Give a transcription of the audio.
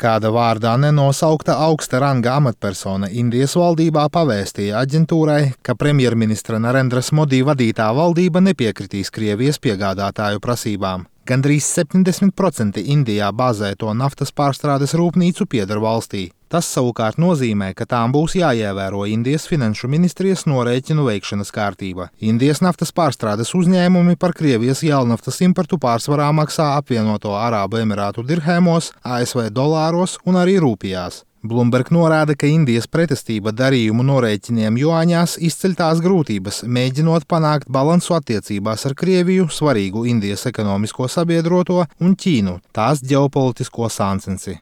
Kāda vārdā nenosaukta augsta ranga amatpersona Indijas valdībā pavēstīja aģentūrai, ka premjerministra Narendras Modi vadītā valdība nepiekritīs Krievijas piegādātāju prasībām. Gandrīz 70% Indijā bāzēto naftas pārstrādes rūpnīcu pieder valstī. Tas savukārt nozīmē, ka tām būs jāievēro Indijas finanšu ministrijas norēķinu veikšanas kārtība. Indijas naftas pārstrādes uzņēmumi par Krievijas jēlnaftas importu pārsvarā maksā apvienoto Arābu Emirātu dirhēmos, ASV dolāros un arī rūpijās. Bloomberg norāda, ka Indijas pretestība darījumu norēķiniem juāņās izceļ tās grūtības, mēģinot panākt balansu attiecībās ar Krieviju, svarīgu Indijas ekonomisko sabiedroto, un Ķīnu, tās ģeopolitisko sāncensi.